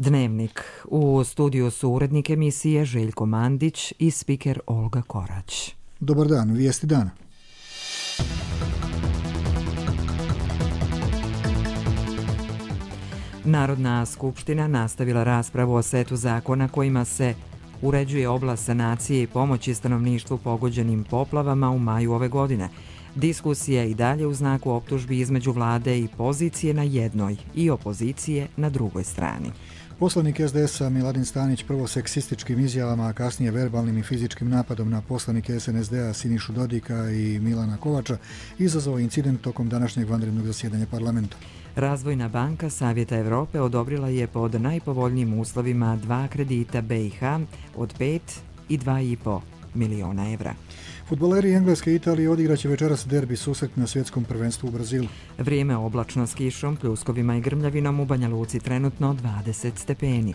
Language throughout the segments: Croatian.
Dnevnik. U studiju su urednik emisije Željko Mandić i spiker Olga Korać. Dobar dan, vijesti dana. Narodna skupština nastavila raspravu o setu zakona kojima se uređuje oblast sanacije i pomoći stanovništvu pogođenim poplavama u maju ove godine. Diskusija i dalje u znaku optužbi između vlade i pozicije na jednoj i opozicije na drugoj strani. Poslanik SDS-a Miladin Stanić prvo seksističkim izjavama, a kasnije verbalnim i fizičkim napadom na poslanike SNSD-a Sinišu Dodika i Milana Kovača izazvao incident tokom današnjeg vanrednog zasjedanja parlamenta. Razvojna banka Savjeta Evrope odobrila je pod najpovoljnijim uslovima 2 kredita BiH od 5 i 2,5 miliona evra. Fudbaleri Engleske i Italije odigraće večeras derbi susret na svjetskom prvenstvu u Brazilu. Vrijeme oblačno s kišom, pljuskovima i grmljavinom, u Banja Luci trenutno 20 stepeni.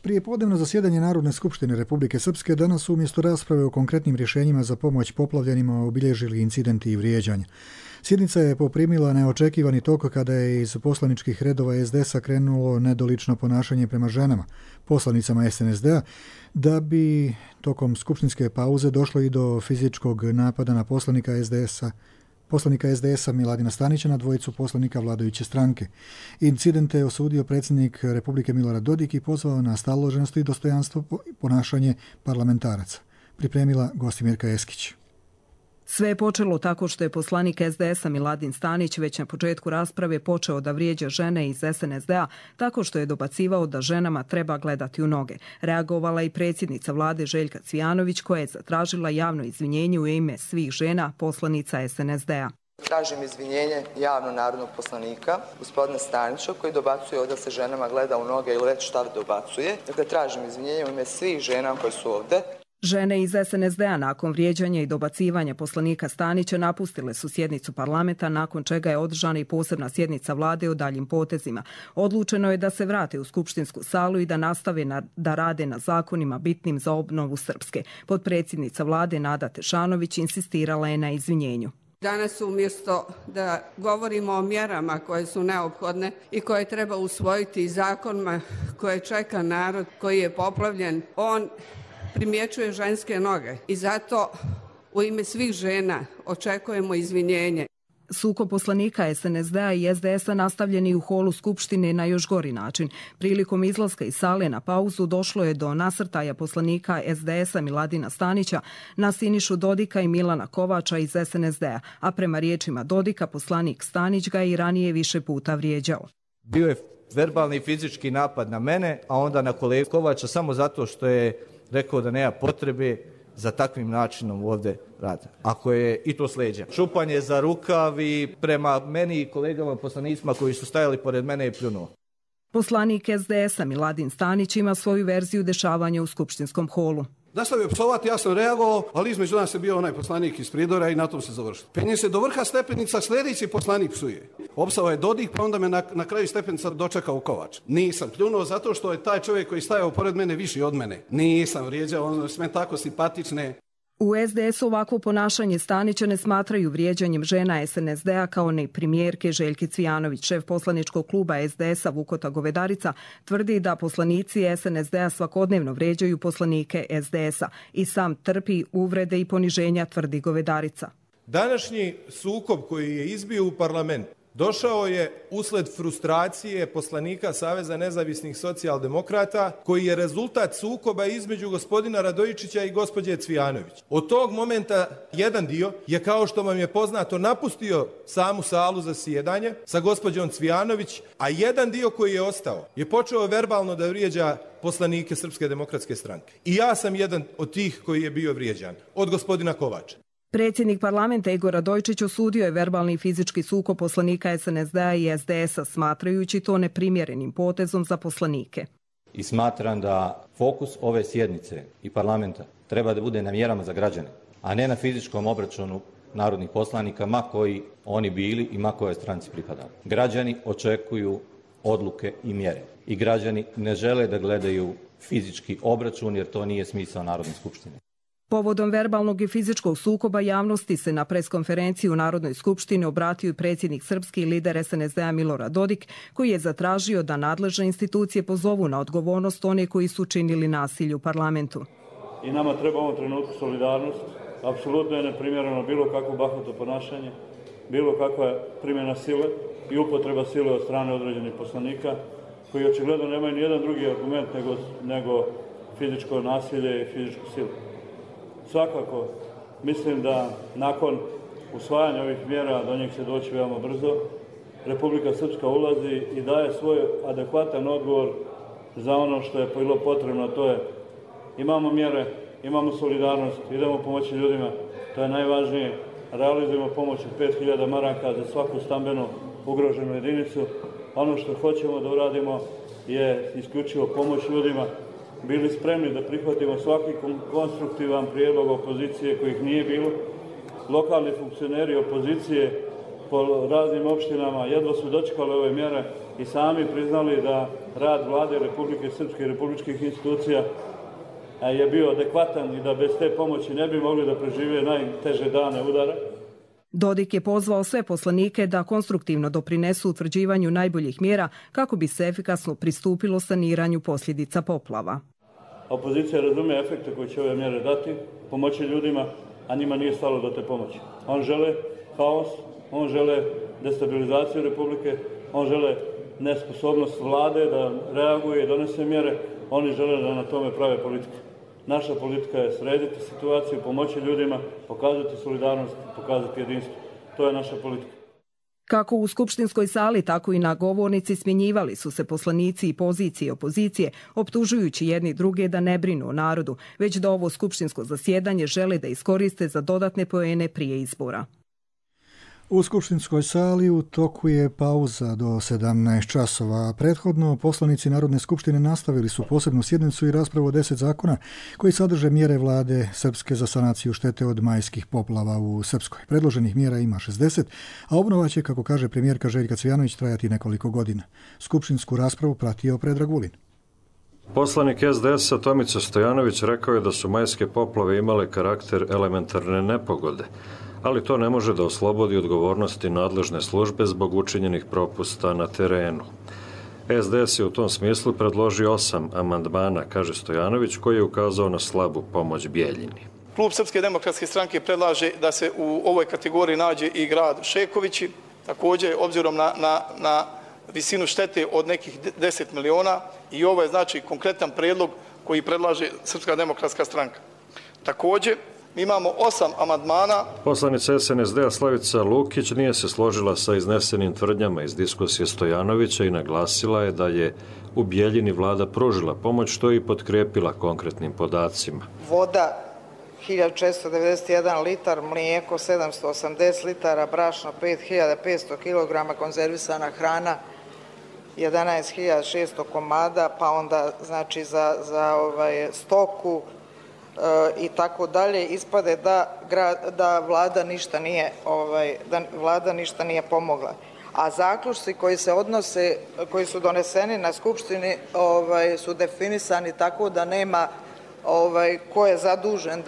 Prijepodnevno zasjedanje Narodne skupštine Republike Srpske danas su umjesto rasprave o konkretnim rješenjima za pomoć poplavljenima obilježili incidenti i vrijeđanja. Sjednica je poprimila neočekivani tok kada je iz poslaničkih redova SDS-a krenulo nedolično ponašanje prema ženama, poslanicama SNSD-a, da bi tokom skupštinske pauze došlo i do fizičkog napada na poslanika SDS-a Miladina Stanića na dvojicu poslanika vladajuće stranke. Incidente je osudio predsjednik Republike Milorad Dodik i pozvao na staloženost i dostojanstvo ponašanje parlamentaraca. Pripremila Gostimirka Eskić. Sve je počelo tako što je poslanik SDS-a Miladin Stanić već na početku rasprave počeo da vrijeđa žene iz SNSD-a tako što je dobacivao da ženama treba gledati u noge. Reagovala i predsjednica vlade Željka Cvijanović koja je zatražila javno izvinjenje u ime svih žena poslanica SNSD-a. Tražim izvinjenje javno narodnog poslanika, gospodina Stanića, koji dobacuje da se ženama gleda u noge ili već šta dobacuje. Dakle, tražim izvinjenje u ime svih žena koje su ovde. Žene iz SNSD-a nakon vrijeđanja i dobacivanja poslanika Stanića napustile su sjednicu parlamenta, nakon čega je održana i posebna sjednica vlade o daljim potezima. Odlučeno je da se vrate u skupštinsku salu i da nastave da rade na zakonima bitnim za obnovu Srpske. Potpredsjednica vlade Nada Tešanović insistirala je na izvinjenju. Danas umjesto da govorimo o mjerama koje su neophodne i koje treba usvojiti zakonima koje čeka narod koji je poplavljen, on primjećuje ženske noge i zato u ime svih žena očekujemo izvinjenje. Sukob poslanika SNSD-a i SDS-a nastavljeni u holu Skupštine na još gori način. Prilikom izlaska iz sale na pauzu došlo je do nasrtaja poslanika SDS-a Miladina Stanića na Sinišu Dodika i Milana Kovača iz SNSD-a, a prema riječima Dodika poslanik Stanić ga i ranije više puta vrijeđao. Bio je verbalni i fizički napad na mene, a onda na kolegu Kovača samo zato što je rekao da nema potrebe za takvim načinom ovdje rada. Ako je i to sleđa. Šupanje za rukav i prema meni i kolegama poslanicima koji su stajali pored mene je pljunuo. Poslanik SDS-a Miladin Stanić ima svoju verziju dešavanja u skupštinskom holu. Nastavio psovati, ja sam reagovao, ali između nas je bio onaj poslanik iz Pridora i na tom se završilo. Penje se do vrha stepenica, sljedeći poslanik psuje. Opsao je Dodik, pa onda me na kraju stepenica dočekao Kovač. Nisam pljunuo zato što je taj čovjek koji stajao pored mene viši od mene. Nisam vrijeđao, on sve tako simpatične. U SDS-u ovakvo ponašanje Stanića ne smatraju vrijeđanjem žena SNSD-a kao ni premijerke Željke Cvijanović. Šef poslaničkog kluba SDS-a Vukota Govedarica tvrdi da poslanici SNSD-a svakodnevno vrijeđaju poslanike SDS-a i sam trpi uvrede i poniženja, tvrdi Govedarica. Današnji sukob koji je izbio u parlament došao je usled frustracije poslanika Saveza nezavisnih socijaldemokrata koji je rezultat sukoba između gospodina Radojičića i gospođe Cvijanović. Od tog momenta jedan dio je, kao što vam je poznato, napustio samu salu za sjedanje sa gospođom Cvijanović, a jedan dio koji je ostao je počeo verbalno da vrijeđa poslanike Srpske demokratske stranke. I ja sam jedan od tih koji je bio vrijeđan od gospodina Kovača. Predsjednik parlamenta Igor Radojičić osudio je verbalni i fizički sukob poslanika SNSD-a i SDS-a, smatrajući to neprimjerenim potezom za poslanike. I smatram da fokus ove sjednice i parlamenta treba da bude na mjerama za građane, a ne na fizičkom obračunu narodnih poslanika, ma koji oni bili i ma kojoj stranci pripadali. Građani očekuju odluke i mjere. I građani ne žele da gledaju fizički obračun, jer to nije smisao Narodne skupštine. Povodom verbalnog i fizičkog sukoba javnosti se na preskonferenciji u Narodnoj skupštini obratio i predsjednik srpski lider SNSD-a Milorad Dodik, koji je zatražio da nadležne institucije pozovu na odgovornost one koji su činili nasilje u parlamentu. I nama treba u ovom trenutku solidarnost. Apsolutno je neprimjereno bilo kakvo bahato ponašanje, bilo kakva primjena sile i upotreba sile od strane određenih poslanika, koji očigledno nemaju ni jedan drugi argument nego fizičko nasilje i fizičku silu. Svakako, mislim da nakon usvajanja ovih mjera do njih će doći veoma brzo. Republika Srpska ulazi i daje svoj adekvatan odgovor za ono što je bilo potrebno, to je imamo mjere, imamo solidarnost, idemo pomoći ljudima, to je najvažnije, realizujemo pomoć od 5000 maraka za svaku stambeno ugroženu jedinicu. Ono što hoćemo da uradimo je isključivo pomoć ljudima. Bili spremni da prihvatimo svaki konstruktivan prijedlog opozicije kojih nije bilo. Lokalni funkcioneri opozicije po raznim opštinama jedva su dočekali ove mjere i sami priznali da rad Vlade Republike Srpske i republičkih institucija je bio adekvatan i da bez te pomoći ne bi mogli da prežive najteže dane udara. Dodik je pozvao sve poslanike da konstruktivno doprinesu utvrđivanju najboljih mjera kako bi se efikasno pristupilo saniranju posljedica poplava. Opozicija razume efekte koje će ove mjere dati, pomoći ljudima, a njima nije stalo do te pomoći. On žele haos, on žele destabilizaciju Republike, on žele nesposobnost vlade da reaguje i donese mjere, oni žele da na tome prave politiku. Naša politika je srediti situaciju, pomoći ljudima, pokazati solidarnost, pokazati jedinstvo. To je naša politika. Kako u skupštinskoj sali, tako i na govornici smjenjivali su se poslanici i pozicije i opozicije, optužujući jedni druge da ne brinu o narodu, već da ovo skupštinsko zasjedanje žele da iskoriste za dodatne poene prije izbora. U skupštinskoj sali u toku je pauza do 17 časova. Prethodno poslanici Narodne skupštine nastavili su posebnu sjednicu i raspravu o 10 zakona koji sadrže mjere vlade Srpske za sanaciju štete od majskih poplava u Srpskoj. Predloženih mjera ima 60, a obnova će, kako kaže premijerka Željka Cvijanović, trajati nekoliko godina. Skupštinsku raspravu pratio Predrag Vulin. Poslanik SDS-a Tomica Stojanović rekao je da su majske poplave imale karakter elementarne nepogode, ali to ne može da oslobodi odgovornosti nadležne službe zbog učinjenih propusta na terenu. SDS je u tom smislu predložio 8 amandmana, kaže Stojanović, koji je ukazao na slabu pomoć Bijeljini. Klub Srpske demokratske stranke predlaže da se u ovoj kategoriji nađe i grad Šekovići, također obzirom na visinu štete od nekih 10 miliona i ovo je znači konkretan predlog koji predlaže Srpska demokratska stranka. Također, mi imamo 8 amandmana. Poslanica SNSD-a Slavica Lukić nije se složila sa iznesenim tvrdnjama iz diskusije Stojanovića i naglasila je da je u Bijeljini vlada pružila pomoć, što je i potkrepila konkretnim podacima. Voda 1491 litar, mlijeko 780 litara, brašno 5500 kg, konzervisana hrana 11.600 komada, pa onda znači za stoku i tako dalje, ispade da vlada ništa nije pomogla. A zaključci koji se odnose, koji su doneseni na skupštini su definisani tako da nema ko je zadužen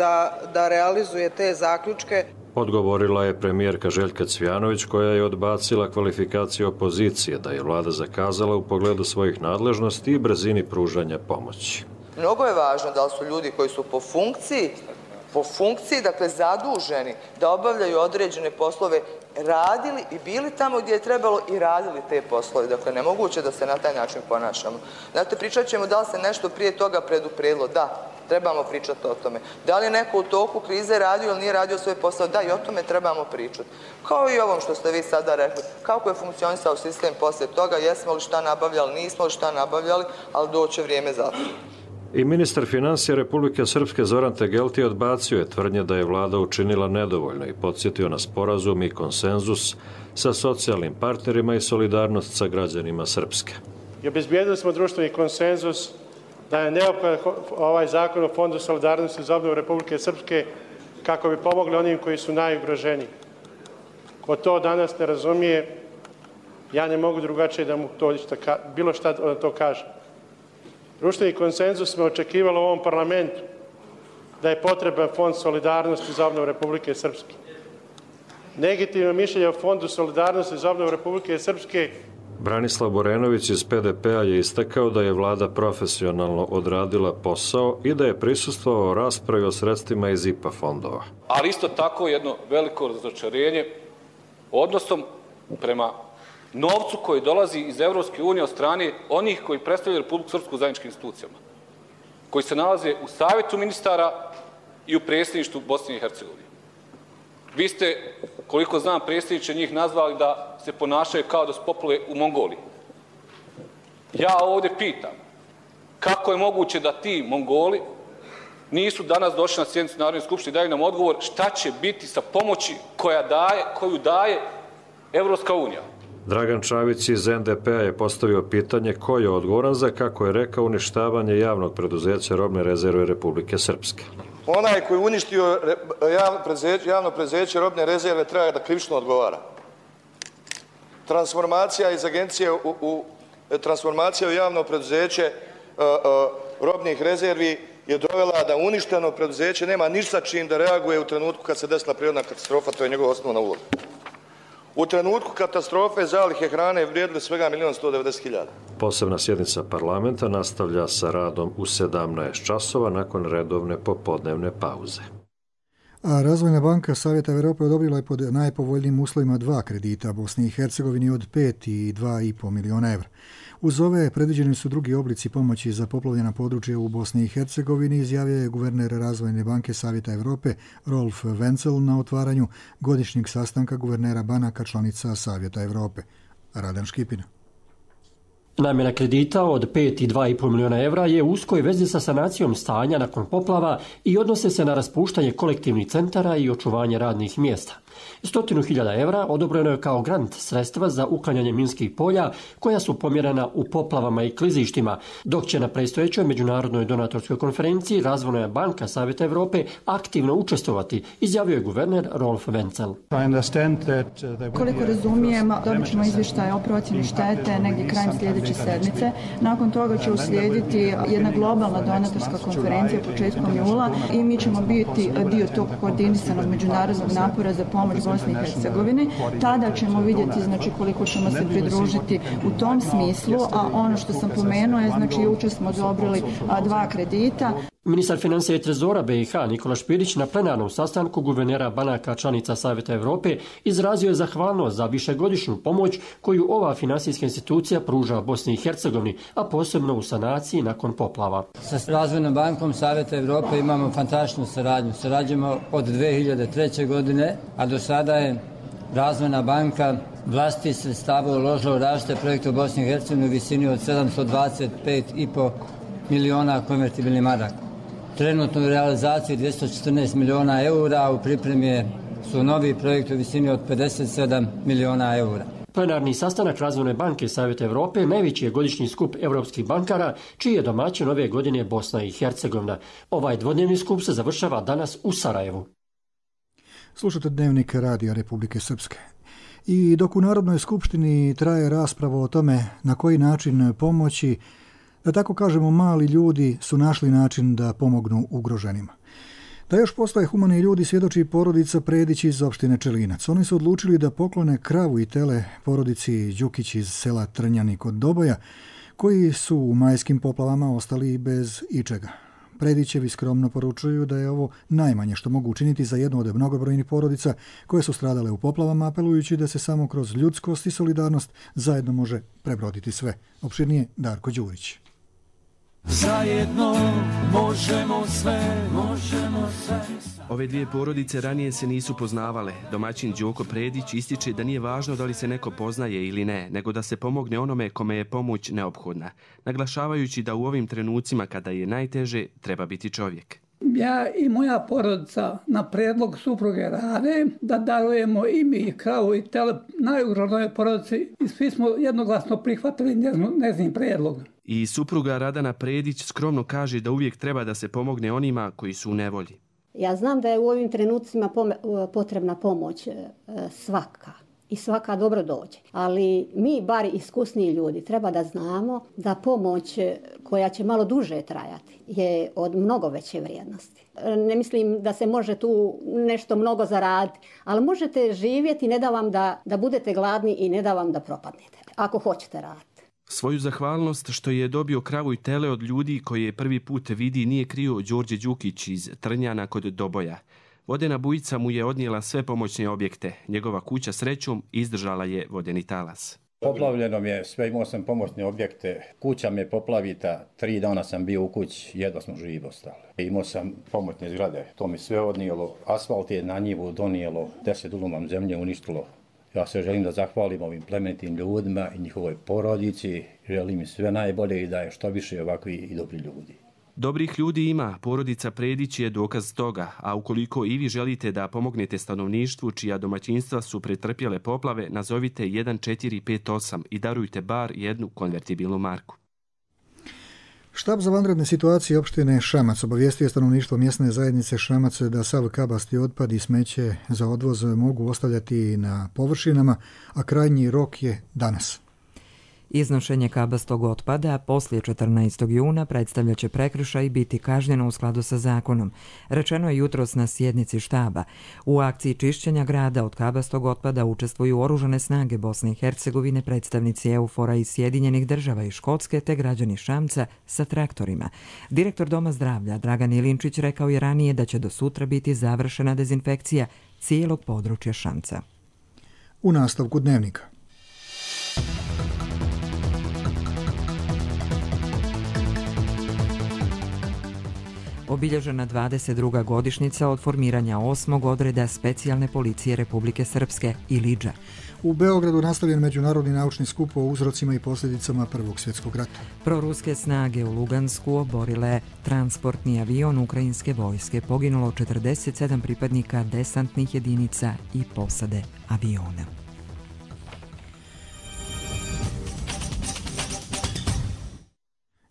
da realizuje te zaključke. Odgovorila je premijerka Željka Cvijanović, koja je odbacila kvalifikaciju opozicije da je vlada zakazala u pogledu svojih nadležnosti i brzini pružanja pomoći. Mnogo je važno da li su ljudi koji su po funkciji, dakle zaduženi da obavljaju određene poslove, radili i bili tamo gdje je trebalo i radili te poslove. Dakle, nemoguće da se na taj način ponašamo. Znate, pričat ćemo da li se nešto prije toga predupredilo. Da, trebamo pričati o tome. Da li je neko u toku krize radio ili nije radio svoj posao? Da, i o tome trebamo pričati. Kao i ovom što ste vi sada rekli. Kako je funkcionisao sistem poslije toga? Jesmo li šta nabavljali, nismo li šta nabavljali, ali doće vrijeme za to. I ministar financija Republike Srpske Zoran Tegelti odbacio je tvrdnje da je vlada učinila nedovoljno i podsjetio na sporazum i konsenzus sa socijalnim partnerima i solidarnost sa građanima Srpske. I obezbijedili smo društveni konsenzus da je neophodan ovaj zakon o Fondu solidarnosti za obnovu Republike Srpske kako bi pomogli onim koji su najugroženiji. Ko to danas ne razumije, ja ne mogu drugačije da mu to bilo šta da to kaže. Društveni konsenzus smo očekivali u ovom parlamentu, da je potreban Fond solidarnosti za obnovu Republike Srpske. Legitimno mišljenje o Fondu solidarnosti za obnovu Republike Srpske. Branislav Borenović iz PDP-a je istakao da je vlada profesionalno odradila posao i da je prisustvovao raspravi o sredstvima iz IPA fondova. Ali isto tako jedno veliko razočarenje odnosom prema novcu koji dolazi iz Evropske unije od strane onih koji predstavljaju Republiku Srpsku u zajedničkim institucijama, koji se nalaze u Savjetu ministara i u predsjedništvu Bosne i Hercegovine. Vi ste, koliko znam, predsjedniče, njih nazvali da se ponašaju kao da su popule u Mongoliji. Ja ovdje pitam, kako je moguće da ti Mongoli nisu danas došli na sjednicu Narodne skupštine i daju nam odgovor šta će biti sa pomoći koju daje Evropska unija? Dragan Čavić iz NDP-a je postavio pitanje ko je odgovoran za, kako je rekao, uništavanje javnog preduzeća Robne rezerve Republike Srpske. Onaj koji je uništio javno preduzeće Robne rezerve treba da krivično odgovara. Transformacija iz agencije transformacija u javno preduzeće robnih rezervi je dovela da uništeno preduzeće nema ništa čim da reaguje u trenutku kad se desila prirodna katastrofa, to je njegova osnovna uloga. U trenutku katastrofe zalihe hrane vrijedile svega 1.190.000. Posebna sjednica parlamenta nastavlja sa radom u 17 časova nakon redovne popodnevne pauze. A Razvojna banka Savjeta Evrope odobrila je pod najpovoljnijim uslovima 2 kredita Bosni i Hercegovini od 5 i 2,5 miliona evra. Uz ove predviđeni su drugi oblici pomoći za poplavljena područja u Bosni i Hercegovini, izjavio je guverner Razvojne banke Savjeta Evrope Rolf Wenzel na otvaranju godišnjeg sastanka guvernera banaka članica Savjeta Evrope. Radan Škipina. Namjena kredita od 5 i 2,5 miliona evra je u uskoj vezi sa sanacijom stanja nakon poplava i odnose se na raspuštanje kolektivnih centara i očuvanje radnih mjesta. 100.000 evra odobreno je kao grant sredstva za uklanjanje minskih polja koja su pomjerena u poplavama i klizištima, dok će na predstojećoj međunarodnoj donatorskoj konferenciji Razvojna banka Savjeta Evrope aktivno učestvovati, izjavio je guverner Rolf Wenzel. Koliko razumijem, dobit ćemo izvještaj o procjeni štete negdje krajem sljedeće sedmice. Nakon toga će uslijediti jedna globalna donatorska konferencija početkom jula i mi ćemo biti dio tog koordinisanog međunarodnog napora za pomoć Bosni i Hercegovini. Tada ćemo vidjeti koliko ćemo se pridružiti u tom smislu, a ono što sam pomenuo je jučer smo odobrili 2 kredita. Ministar financija i trezora BiH Nikola Špirić na plenarnom sastanku guvernera banaka članica Savjeta Evrope izrazio je zahvalnost za višegodišnju pomoć koju ova finansijska institucija pruža Bosni i Hercegovini, a posebno u sanaciji nakon poplava. Sa Razvojnom bankom Savjeta Evrope imamo fantastičnu saradnju. Sarađujemo od 2003. godine, a do sada je Razvojna banka vlastitih sredstava uložila u različite projekte u Bosni i Hercegovini u visini od 725,5 miliona konvertibilnih maraka. Trenutno u realizaciji 214 miliona eura, u pripremi su novi projekti u visini od 57 miliona eura. Plenarni sastanak Razvojne banke Savjeta Evrope najveći je godišnji skup evropskih bankara, čiji je domaćin ove godine Bosna i Hercegovina. Ovaj dvodnevni skup se završava danas u Sarajevu. Slušate Dnevnik Radija Republike Srpske. I dok u Narodnoj skupštini traje rasprava o tome na koji način pomoći, da tako kažemo, mali ljudi su našli način da pomognu ugroženima. Da još postoje humani ljudi svjedoči porodica Predić iz opštine Čelinac. Oni su odlučili da poklone kravu i tele porodici Đukić iz sela Trnjani kod Doboja, koji su u majskim poplavama ostali bez ičega. Predićevi skromno poručuju da je ovo najmanje što mogu učiniti za jednu od mnogobrojnih porodica koje su stradale u poplavama, apelujući da se samo kroz ljudskost i solidarnost zajedno može prebroditi sve. Opširnije Darko Đurić. Zajedno možemo sve, možemo sve. Ove dvije porodice ranije se nisu poznavale. Domaćin Đoko Predić ističe da nije važno da li se neko poznaje ili ne, nego da se pomogne onome kome je pomoć neophodna, naglašavajući da u ovim trenucima kada je najteže treba biti čovjek. Ja i moja porodica na predlog supruge Rade da darujemo i mi kravu i tele najugroženoj porodici i svi smo jednoglasno prihvatili njezin predlog. I supruga Radana Predić skromno kaže da uvijek treba da se pomogne onima koji su u nevolji. Ja znam da je u ovim trenucima potrebna pomoć svaka. i svaka dobro dođe. Ali mi, bar iskusniji ljudi, treba da znamo da pomoć koja će malo duže trajati je od mnogo veće vrijednosti. Ne mislim da se može tu nešto mnogo zaraditi, ali možete živjeti, ne da vam da budete gladni i ne da vam da propadnete, ako hoćete raditi. Svoju zahvalnost što je dobio kravu i tele od ljudi koje prvi put vidi nije krio Đorđe Đukić iz Trnjana kod Doboja. Vodena bujica mu je odnijela sve pomoćne objekte. Njegova kuća srećom izdržala je vodeni talas. Poplavljeno mi je sve, imao sam pomoćne objekte. Kuća me poplavita, 3 dana sam bio u kući, jedva smo živi ostali. Imao sam pomoćne zgrade, to mi sve odnijelo. Asfalt je na njivu donijelo, 10 duluma zemlje uništilo. Ja se želim da zahvalim ovim plemenitim ljudima i njihovoj porodici. Želim im sve najbolje i da je što više ovakvi i dobri ljudi. Dobrih ljudi ima, porodica Predić je dokaz toga, a ukoliko i vi želite da pomognete stanovništvu čija domaćinstva su pretrpjele poplave, nazovite 1458 i darujte bar jednu konvertibilnu marku. Štab za vanredne situacije opštine Šamac obavijestio je stanovništvo mjesne zajednice Šamac da sav kabasti otpad i smeće za odvoz mogu ostavljati na površinama, a krajnji rok je danas. Iznošenje kabastog otpada poslije 14. juna predstavljat će prekršaj i biti kažnjeno u skladu sa zakonom. Rečeno je jutros na sjednici štaba. U akciji čišćenja grada od kabastog otpada učestvuju oružane snage Bosne i Hercegovine, predstavnici EUFOR-a iz Sjedinjenih država i Škotske te građani Šamca sa traktorima. Direktor Doma zdravlja Dragan Ilinčić rekao je ranije da će do sutra biti završena dezinfekcija cijelog područja Šamca. U nastavku dnevnika. Obilježena 22. godišnjica od formiranja 8. odreda specijalne policije Republike Srpske Ilidža. U Beogradu nastavljen međunarodni naučni skup o uzrocima i posljedicama Prvog svjetskog rata. Proruske snage u Lugansku oborile transportni avion ukrajinske vojske. Poginulo 47 pripadnika desantnih jedinica i posade aviona.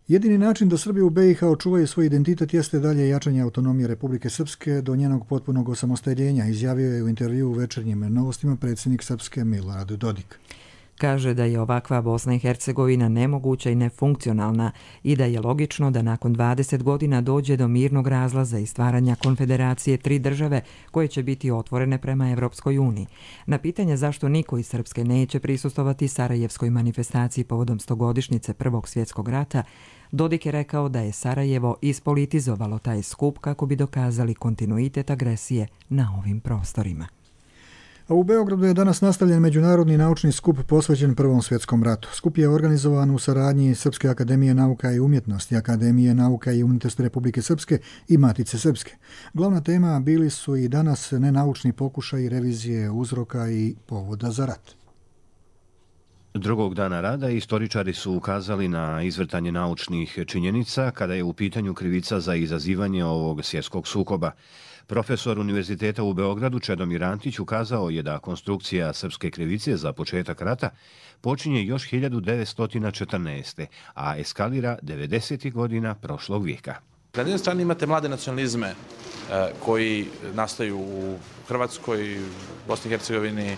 Jedini način da Srbi u BiH očuvaju svoj identitet jeste dalje jačanje autonomije Republike Srpske do njenog potpunog osamostaljenja, izjavio je u intervjuu u Večernjim novostima predsjednik Srpske Milorad Dodik. Kaže da je ovakva Bosna i Hercegovina nemoguća i nefunkcionalna i da je logično da nakon 20 godina dođe do mirnog razlaza i stvaranja konfederacije 3 države koje će biti otvorene prema Evropskoj uniji. Na pitanje zašto niko iz Srpske neće prisustvovati Sarajevskoj manifestaciji povodom 100-godišnjice Prvog svjetskog rata, Dodik je rekao da je Sarajevo ispolitizovalo taj skup kako bi dokazali kontinuitet agresije na ovim prostorima. A u Beogradu je danas nastavljen međunarodni naučni skup posvećen Prvom svjetskom ratu. Skup je organizovan u saradnji Srpske akademije nauka i umjetnosti, Akademije nauka i umjetnosti Republike Srpske i Matice Srpske. Glavna tema bili su i danas nenaučni pokušaj revizije uzroka i povoda za rat. Drugog dana rada istoričari su ukazali na izvrtanje naučnih činjenica kada je u pitanju krivica za izazivanje ovog svjetskog sukoba. Profesor Univerziteta u Beogradu Čedomir Antić ukazao je da konstrukcija srpske krivice za početak rata počinje još 1914. a eskalira 90. godina prošlog vijeka. Na jednej strani imate mlade nacionalizme koji nastaju u Hrvatskoj, Bosni i Hercegovini,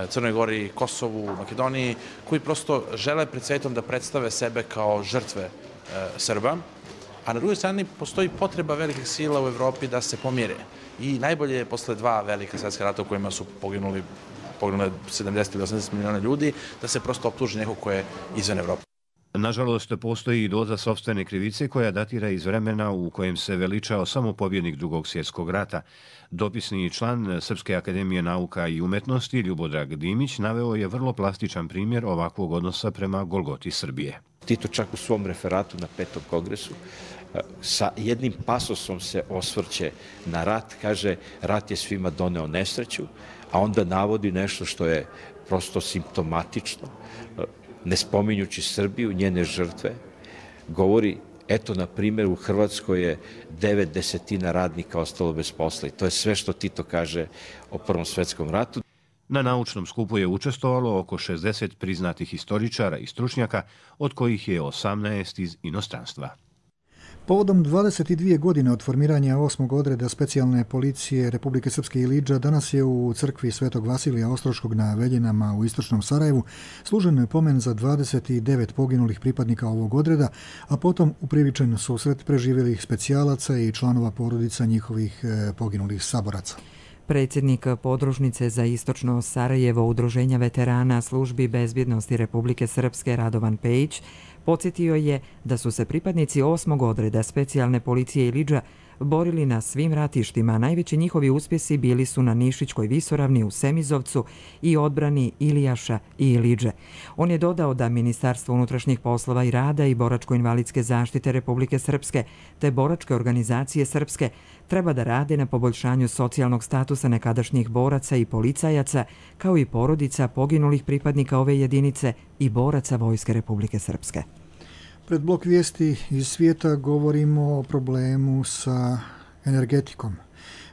Crnoj Gori, Kosovu, Makedoniji, koji prosto žele pred svetom da predstave sebe kao žrtve Srba, a na drugoj strani postoji potreba velikih sila u Evropi da se pomire. I najbolje je posle 2 velika svjetska rata u kojima su poginuli 70 ili 80 miliona ljudi, da se prosto optuži neko ko je izvan Evrope. Nažalost, postoji i doza sopstvene krivice koja datira iz vremena u kojem se veličao samo pobjednik Drugog svjetskog rata. Dopisni član Srpske akademije nauka i umjetnosti Ljubodrag Dimić naveo je vrlo plastičan primjer ovakvog odnosa prema Golgoti Srbije. Tito čak u svom referatu na 5. kongresu sa jednim pasosom se osvrće na rat, kaže rat je svima doneo nesreću, a onda navodi nešto što je prosto simptomatično, ne spominjući Srbiju, njene žrtve, govori, eto, na primjer, u Hrvatskoj je 9/10 radnika ostalo bez posla i to je sve što Tito kaže o Prvom svjetskom ratu. Na naučnom skupu je učestvovalo oko 60 priznatih historičara i stručnjaka, od kojih je 18 iz inostranstva. Povodom 22 godine od formiranja 8. odreda specijalne policije Republike Srpske Iliđa danas je u crkvi Svetog Vasilija Ostroškog na Veljinama u istočnom Sarajevu služen pomen za 29 poginulih pripadnika ovog odreda, a potom upriličen susret preživjelih specijalaca i članova porodica njihovih poginulih saboraca. Predsjednik podružnice za istočno Sarajevo Udruženja veterana službi bezbjednosti Republike Srpske Radovan Pejić podsjetio je da su se pripadnici 8. odreda specijalne policije Iliđa borili na svim ratištima. Najveći njihovi uspjesi bili su na Nišićkoj visoravni u Semizovcu i odbrani Ilijaša i Iliđe. On je dodao da Ministarstvo unutrašnjih poslova i rada i boračko-invalidske zaštite Republike Srpske te boračke organizacije Srpske treba da rade na poboljšanju socijalnog statusa nekadašnjih boraca i policajaca, kao i porodica poginulih pripadnika ove jedinice i boraca Vojske Republike Srpske. Pred blok vijesti iz svijeta govorimo o problemu sa energetikom.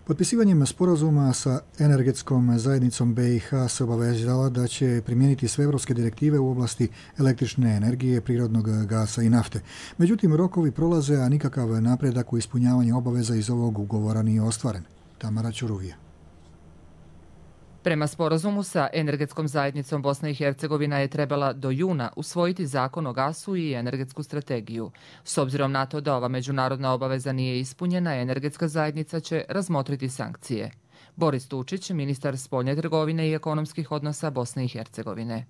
Potpisivanjem sporazuma sa energetskom zajednicom BiH se obavezala da će primijeniti sve evropske direktive u oblasti električne energije, prirodnog gasa i nafte. Međutim, rokovi prolaze, a nikakav napredak u ispunjavanju obaveza iz ovog ugovora nije ostvaren. Tamara Ćuruvija. Prema sporazumu sa energetskom zajednicom Bosna i Hercegovina je trebala do juna usvojiti zakon o gasu i energetsku strategiju. S obzirom na to da ova međunarodna obaveza nije ispunjena, energetska zajednica će razmotriti sankcije. Boris Tučić, ministar spoljne trgovine i ekonomskih odnosa Bosne i Hercegovine.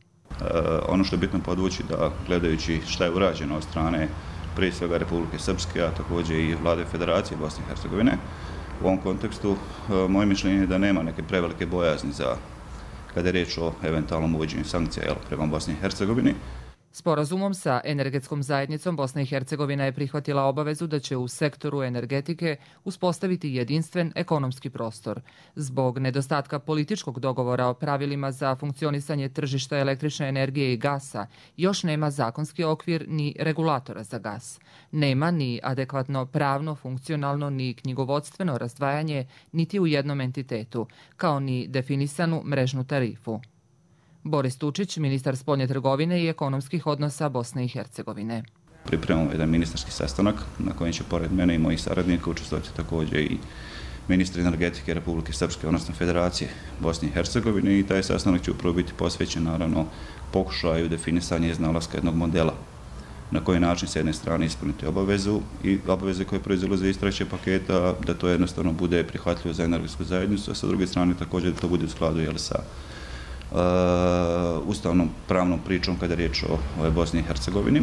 Ono što je bitno podvući da gledajući šta je urađeno od strane prije svega Republike Srpske, a također i Vlade Federacije Bosne i Hercegovine, u ovom kontekstu moje mišljenje je da nema neke prevelike bojazni za kada je riječ o eventualnom uvođenju sankcija prema Bosni i Hercegovini. Sporazumom sa energetskom zajednicom Bosna i Hercegovina je prihvatila obavezu da će u sektoru energetike uspostaviti jedinstven ekonomski prostor. Zbog nedostatka političkog dogovora o pravilima za funkcionisanje tržišta električne energije i gasa, još nema zakonski okvir ni regulatora za gas. Nema ni adekvatno pravno, funkcionalno ni knjigovodstveno razdvajanje niti u jednom entitetu, kao ni definisanu mrežnu tarifu. Boris Tučić, ministar spoljne trgovine i ekonomskih odnosa Bosne i Hercegovine. Pripremamo jedan ministarski sastanak na kojem će pored mene i mojih saradnika učestvovati također i ministri energetike Republike Srpske, odnosno Federacije Bosne i Hercegovine, i taj sastanak će upravo biti posvećen naravno pokušaju definisanja iznalaska jednog modela na koji način s jedne strane ispuniti obavezu i obaveze koje proizilaze iz trećeg paketa, da to jednostavno bude prihvatljivo za energetsku zajednicu, a sa druge strane također da to bude u skladu sa ustavnom pravnom pričom kada je riječ o Bosni i Hercegovini.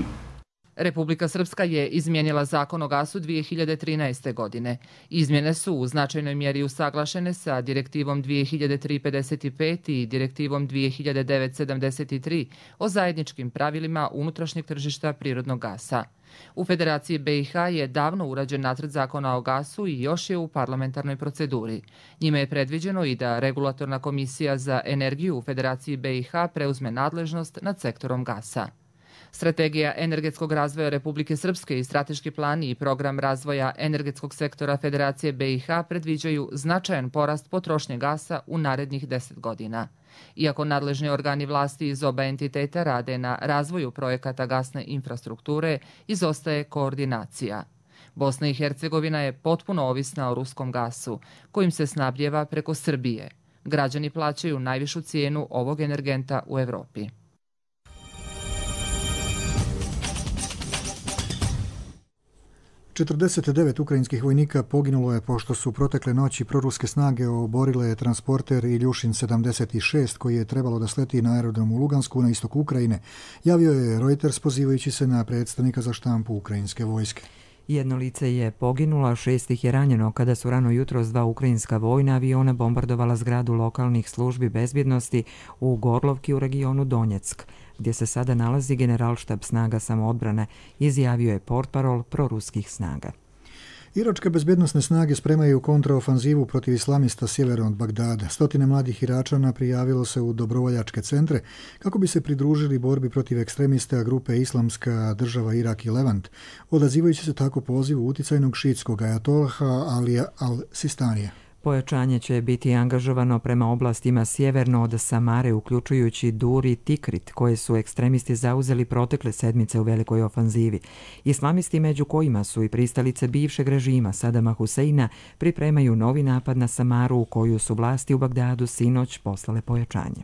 Republika Srpska je izmijenila zakon o gasu 2013. godine. Izmjene su u značajnoj mjeri usaglašene sa direktivom 2003/55 i direktivom 2009/73 o zajedničkim pravilima unutrašnjeg tržišta prirodnog gasa. U Federaciji BiH je davno urađen nacrt zakona o gasu i još je u parlamentarnoj proceduri. Njime je predviđeno i da Regulatorna komisija za energiju u Federaciji BiH preuzme nadležnost nad sektorom gasa. Strategija energetskog razvoja Republike Srpske i strateški plan i program razvoja energetskog sektora Federacije BiH predviđaju značajan porast potrošnje gasa u narednih 10 godina. Iako nadležni organi vlasti iz oba entiteta rade na razvoju projekata gasne infrastrukture, izostaje koordinacija. Bosna i Hercegovina je potpuno ovisna o ruskom gasu, kojim se snabdjeva preko Srbije. Građani plaćaju najvišu cijenu ovog energenta u Evropi. ...49 ukrajinskih vojnika poginulo je pošto su protekle noći proruske snage oborile transporter Iljušin 76 koji je trebalo da sleti na aerodrom u Lugansku na istoku Ukrajine, javio je Reuters pozivajući se na predstavnika za štampu ukrajinske vojske. Jedno lice je poginulo, 6 ih je ranjeno kada su rano jutros 2 ukrajinska vojna aviona bombardovala zgradu lokalnih službi bezbjednosti u Gorlovki u regionu Donjeck, gdje se sada nalazi generalštab snaga samoodbrane, izjavio je portparol proruskih snaga. Iračke bezbjednosne snage spremaju kontraofanzivu protiv islamista sjeverno od Bagdada. Stotine mladih Iračana prijavilo se u dobrovoljačke centre kako bi se pridružili borbi protiv ekstremista grupe Islamska država Irak i Levant, odazivajući se tako pozivu uticajnog šiitskog ajatolaha Alija al-Sistanija. Pojačanje će biti angažovano prema oblastima sjeverno od Samare, uključujući Dur i Tikrit, koje su ekstremisti zauzeli protekle sedmice u velikoj ofanzivi. Islamisti, među kojima su i pristalice bivšeg režima Sadama Huseina, pripremaju novi napad na Samaru, u koju su vlasti u Bagdadu sinoć poslale pojačanje.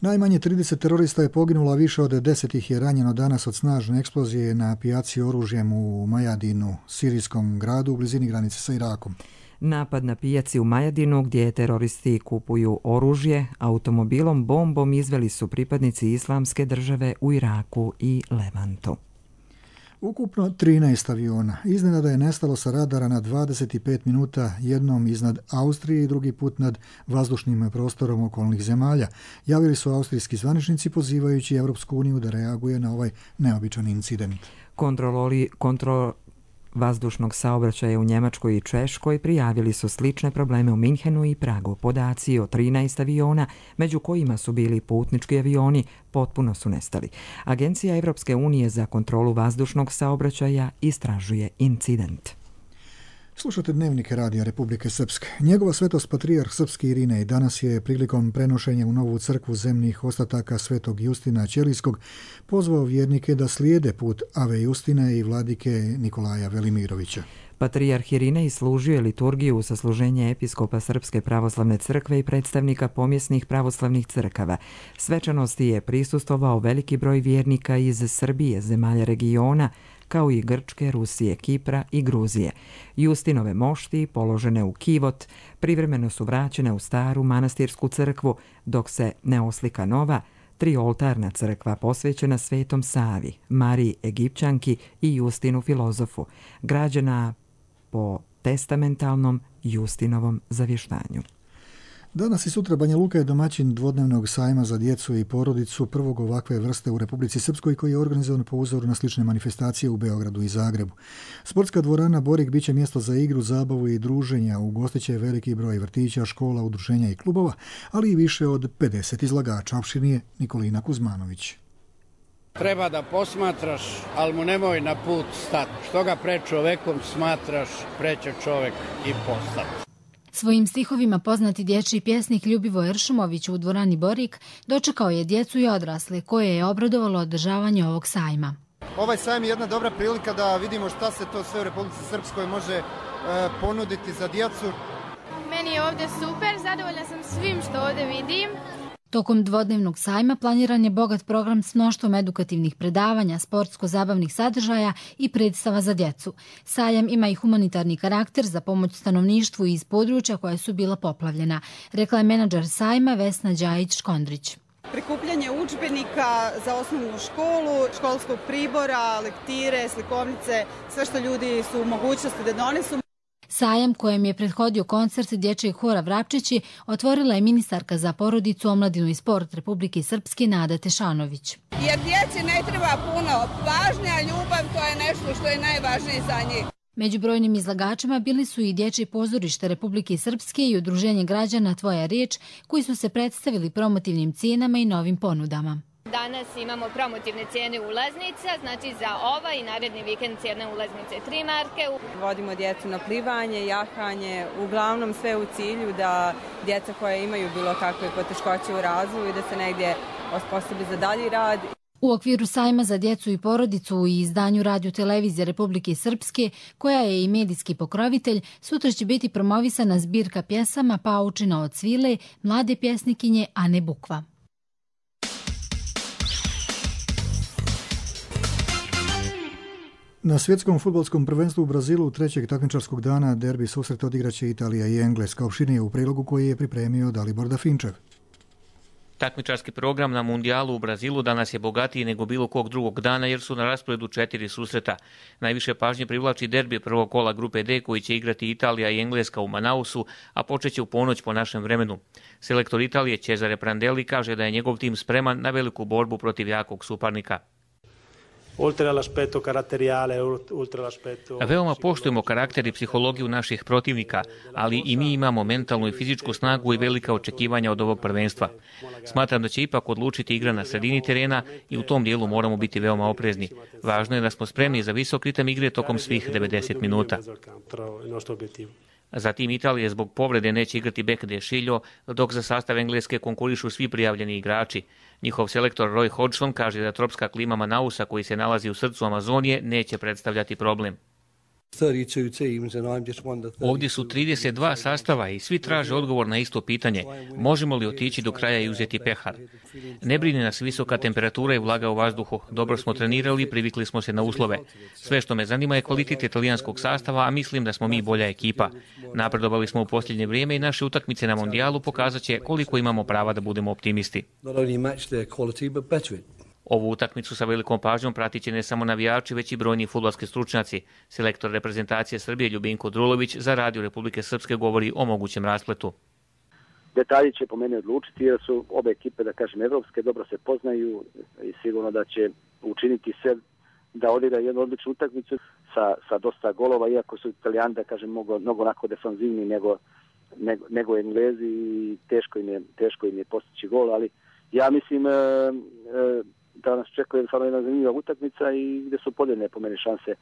Najmanje 30 terorista je poginulo, a više od 10 ih je ranjeno danas od snažne eksplozije na pijaci oružjem u Majadinu, sirijskom gradu u blizini granice sa Irakom. Napad na pijaci u Majadinu, gdje teroristi kupuju oružje, automobilom bombom izveli su pripadnici Islamske države u Iraku i Levantu. Ukupno 13 aviona. Iznenada je nestalo sa radara na 25 minuta, jednom iznad Austrije i drugi put nad vazdušnim prostorom okolnih zemalja. Javili su austrijski zvaničnici pozivajući Evropsku uniju da reaguje na ovaj neobičan incident. Kontrol vazdušnog saobraćaja u Njemačkoj i Češkoj prijavili su slične probleme u Minhenu i Pragu. Podaci o 13 aviona, među kojima su bili putnički avioni, potpuno su nestali. Agencija Evropske unije za kontrolu vazdušnog saobraćaja istražuje incident. Slušate Dnevnik Radija Republike Srpske. Njegova svetost patrijarh srpski Irinej danas je prilikom prenošenja u novu crkvu zemnih ostataka svetog Justina Ćelijskog pozvao vjernike da slijede put Ave Justine i vladike Nikolaja Velimirovića. Patrijarh Irinej služio je liturgiju u sasluženje episkopa Srpske pravoslavne crkve i predstavnika pomjesnih pravoslavnih crkava. Svečanosti je prisustvovao veliki broj vjernika iz Srbije, zemalja regiona, kao i Grčke, Rusije, Kipra i Gruzije. Justinove mošti, položene u kivot, privremeno su vraćene u staru manastirsku crkvu, dok se ne oslika nova, trioltarna crkva posvećena Svetom Savi, Mariji Egipćanki i Justinu filozofu, građena po testamentalnom Justinovom zavještanju. Danas i sutra Banja Luka je domaćin dvodnevnog sajma za djecu i porodicu, prvog ovakve vrste u Republici Srpskoj, koji je organizovan po uzoru na slične manifestacije u Beogradu i Zagrebu. Sportska dvorana Borik biće mjesto za igru, zabavu i druženja. Ugostit će veliki broj vrtića, škola, udruženja i klubova, ali i više od 50 izlagača. Opširnije Nikolina Kuzmanović. Treba da posmatraš, ali mu nemoj na put stati. Što ga pred čovekom smatraš, preće čovek i postati. Svojim stihovima poznati dječji pjesnik Ljubivoje Ršumović u dvorani Borik dočekao je djecu i odrasle, koje je obradovalo održavanje ovog sajma. Ovaj sajam je jedna dobra prilika da vidimo šta se to sve u Republici Srpskoj može ponuditi za djecu. Meni je ovdje super, zadovoljna sam svim što ovdje vidim. Tokom dvodnevnog sajma planiran je bogat program s mnoštvom edukativnih predavanja, sportsko-zabavnih sadržaja i predstava za djecu. Sajam ima i humanitarni karakter za pomoć stanovništvu iz područja koja su bila poplavljena, rekla je menadžer sajma Vesna Đajić-Škondrić. Prikupljanje udžbenika za osnovnu školu, školskog pribora, lektire, slikovnice, sve što ljudi su u mogućnosti da donesu. Sajam, kojem je prethodio koncert dječjeg hora Vrapčići, otvorila je ministarka za porodicu, omladinu i sport Republike Srpske Nada Tešanović. Jer djeci ne treba puno pažnje, a ljubav to je nešto što je najvažnije za njih. Među brojnim izlagačima bili su i Dječje pozorište Republike Srpske i Udruženje građana Tvoja riječ, koji su se predstavili promotivnim cijenama i novim ponudama. Danas imamo promotivne cijene ulaznica, znači za ovaj i naredni vikend cijene ulaznice 3 marke. Vodimo djecu na plivanje, jahanje, uglavnom sve u cilju da djeca koja imaju bilo kakve poteškoće u razvoju da se negdje osposobi za dalji rad. U okviru sajma za djecu i porodicu u izdanju Radio Televizije Republike Srpske, koja je i medijski pokrovitelj, sutra će biti promovisana zbirka pjesama Paučina od svile, mlade pjesnikinje Ane Bukva. Na svjetskom fudbalskom prvenstvu u Brazilu trećeg takmičarskog dana derbi susret odigraće Italija i Engleska. Opširnije u prilogu koji je pripremio Dalibor Dafinčev. Takmičarski program na mundijalu u Brazilu danas je bogatiji nego bilo kog drugog dana jer su na rasporedu 4 susreta. Najviše pažnje privlači derbi prvog kola grupe D koji će igrati Italija i Engleska u Manausu, a počeće u ponoć po našem vremenu. Selektor Italije Cesare Prandelli kaže da je njegov tim spreman na veliku borbu protiv jakog suparnika. Veoma poštujemo karakter i psihologiju naših protivnika, ali i mi imamo mentalnu i fizičku snagu i velika očekivanja od ovog prvenstva. Smatram da će ipak odlučiti igra na sredini terena i u tom dijelu moramo biti veoma oprezni. Važno je da smo spremni za visok ritam igre tokom svih 90 minuta. Zatim Italije zbog povrede neće igrati bek De Sciglio, dok za sastav Engleske konkurišu svi prijavljeni igrači. Njihov selektor Roy Hodgson kaže da tropska klima Manausa, koji se nalazi u srcu Amazonije, neće predstavljati problem. Ovdje su 32 sastava i svi traže odgovor na isto pitanje. Možemo li otići do kraja i uzeti pehar? Ne brine nas visoka temperatura i vlaga u vazduhu. Dobro smo trenirali, privikli smo se na uslove. Sve što me zanima je kvalitet italijanskog sastava, a mislim da smo mi bolja ekipa. Napredovali smo u posljednje vrijeme i naše utakmice na mondijalu pokazat će koliko imamo prava da budemo optimisti. Ovu utakmicu sa velikom pažnjom pratit će ne samo navijači, već i brojni fudbalski stručnjaci. Selektor reprezentacije Srbije Ljubinko Drulović za Radio Republike Srpske govori o mogućem raspletu. Detalji će po meni odlučiti jer su obe ekipe, da kažem, evropske, dobro se poznaju i sigurno da će učiniti sve da odigra jednu odličnu utakmicu sa dosta golova, iako su Italijani, da kažem, mnogo onako defanzivni nego Englezi i teško im je postići gol, ali ja mislim da nas čekuje jedna zanimljiva utakmica i gdje su podijeljene po meni šanse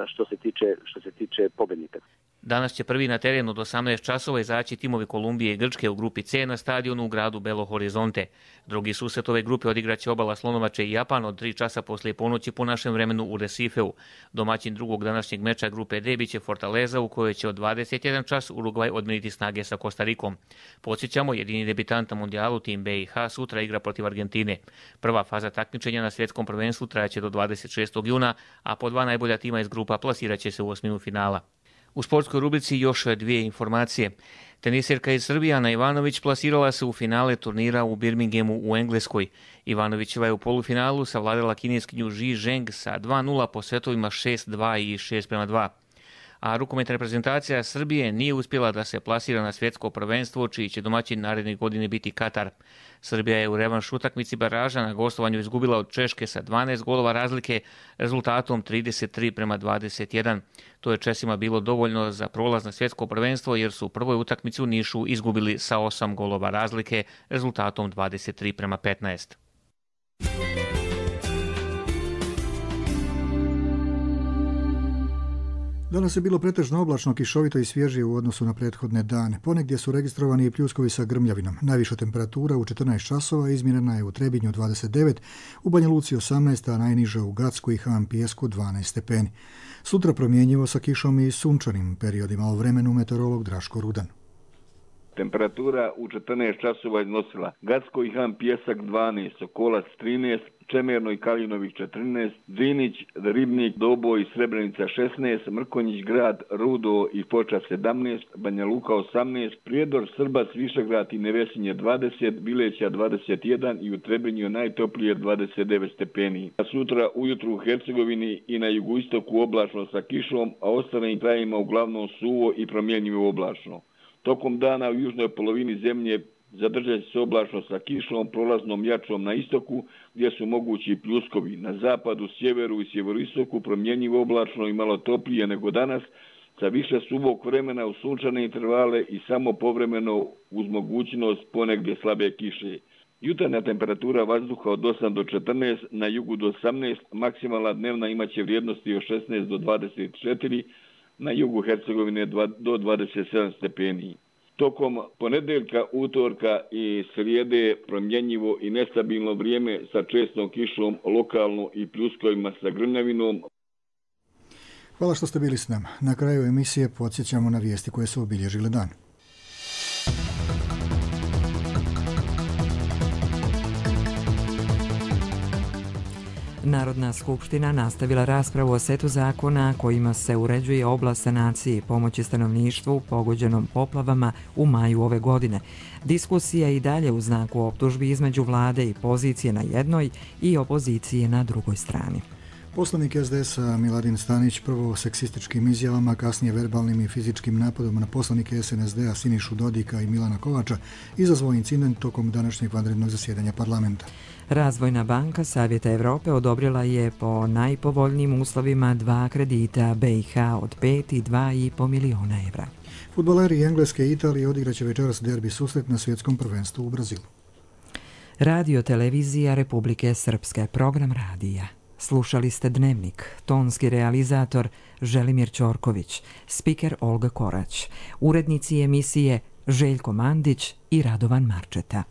što se tiče pobjednika. Danas će prvi na terenu od 18 časova izaći timovi Kolumbije i Grčke u grupi C na stadionu u gradu Belo Horizonte. Drugi susret ove grupe odigraće Obala Slonovače i Japan od 3 časa poslije ponoći po našem vremenu u Recifeu. Domaćin drugog današnjeg meča grupe D biće Fortaleza, u kojoj će od 21 čas Urugvaj odmiriti snage sa Kostarikom. Podsjećamo, jedini debitant na mondijalu, tim BiH, sutra igra protiv Argentine. Prva faza takmičenja na svjetskom prvenstvu trajaće do 26. juna, a po 2 najbolja tima iz grupa plasirat će se u osminu finala. U sportskoj rubrici još 2 informacije. Tenisirka iz Srbije Ana Ivanović plasirala se u finale turnira u Birminghamu u Engleskoj. Ivanovićeva je u polufinalu savladala kineskinju Ji Zheng sa 2-0 po setovima 6-2 i 6-2. A rukometna reprezentacija Srbije nije uspjela da se plasira na svjetsko prvenstvo, čiji će domaćin naredne godine biti Katar. Srbija je u revanš utakmici baraža na gostovanju izgubila od Češke sa 12 golova razlike, rezultatom 33-21. To je Česima bilo dovoljno za prolaz na svjetsko prvenstvo, jer su u prvoj utakmici u Nišu izgubili sa 8 golova razlike, rezultatom 23-15. Danas je bilo pretežno oblačno, kišovito i svježije u odnosu na prethodne dane. Ponegdje su registrovani i pljuskovi sa grmljavinom. Najviša temperatura u 14 časova izmjerena je u Trebinju 29, u Banja Luci 18, a najniža u Gacku i Han Pijesku 12 stepeni. Sutra promjenjivo sa kišom i sunčanim periodima, o vremenu meteorolog Draško Rudan. Temperatura u 14 časova iznosila Gacko i Han Pijesak 12, Sokolac 13, Čemerno i Kaljinović 14, Drinić, Ribnik, Doboj i Srebrenica 16, Mrkonjić grad, Rudo i Foča 17, Banja Luka 18, Prijedor, Srbac, Višegrad i Nevesinje 20, Bileća 21 i u Trebinju najtoplije 29 stepeni. A sutra ujutru u Hercegovini i na jugoistoku oblačno sa kišom, a ostalim krajima uglavnom suvo i promjenjivo oblačno. Tokom dana u južnoj polovini zemlje zadržat će se oblačno sa kišom, prolaznom jačom na istoku, gdje su mogući pljuskovi. Na zapadu, sjeveru i sjeveroistoku promjenjivo oblačno i malo toplije nego danas, sa više suvog vremena u sunčane intervale i samo povremeno uz mogućnost ponegdje slabe kiše. Jutarnja temperatura vazduha od 8 do 14, na jugu do 18, maksimalna dnevna imaće vrijednosti od 16 do 24, na jugu Hercegovine do 27 stepeni. Tokom ponedeljka, utorka i srijede promjenjivo i nestabilno vrijeme sa čestom kišom, lokalno i pljuskovima sa grmljavinom. Hvala što ste bili s nama. Na kraju emisije podsjećamo na vijesti koje su obilježile dan. Narodna skupština nastavila raspravu o setu zakona kojima se uređuje oblast sanacije i pomoći stanovništvu pogođenom poplavama u maju ove godine. Diskusija i dalje u znaku optužbi između vlade i pozicije na jednoj i opozicije na drugoj strani. Poslanik SDS-a Miladin Stanić prvo seksističkim izjavama, kasnije verbalnim i fizičkim napadom na poslanike SNSD-a Sinišu Dodika i Milana Kovača izazvao incident tokom današnjeg vanrednog zasjedanja parlamenta. Razvojna banka Savjeta Evrope odobrila je po najpovoljnijim uslovima 2 kredita BiH od 5 i 2,5 miliona evra. Fudbaleri Engleske i Italije odigraće večeras derbi susret na svjetskom prvenstvu u Brazilu. Radio Televizija Republike Srpske, program radija Slušali ste Dnevnik, tonski realizator Želimir Ćorković, spiker Olga Korać, urednici emisije Željko Mandić i Radovan Marčeta.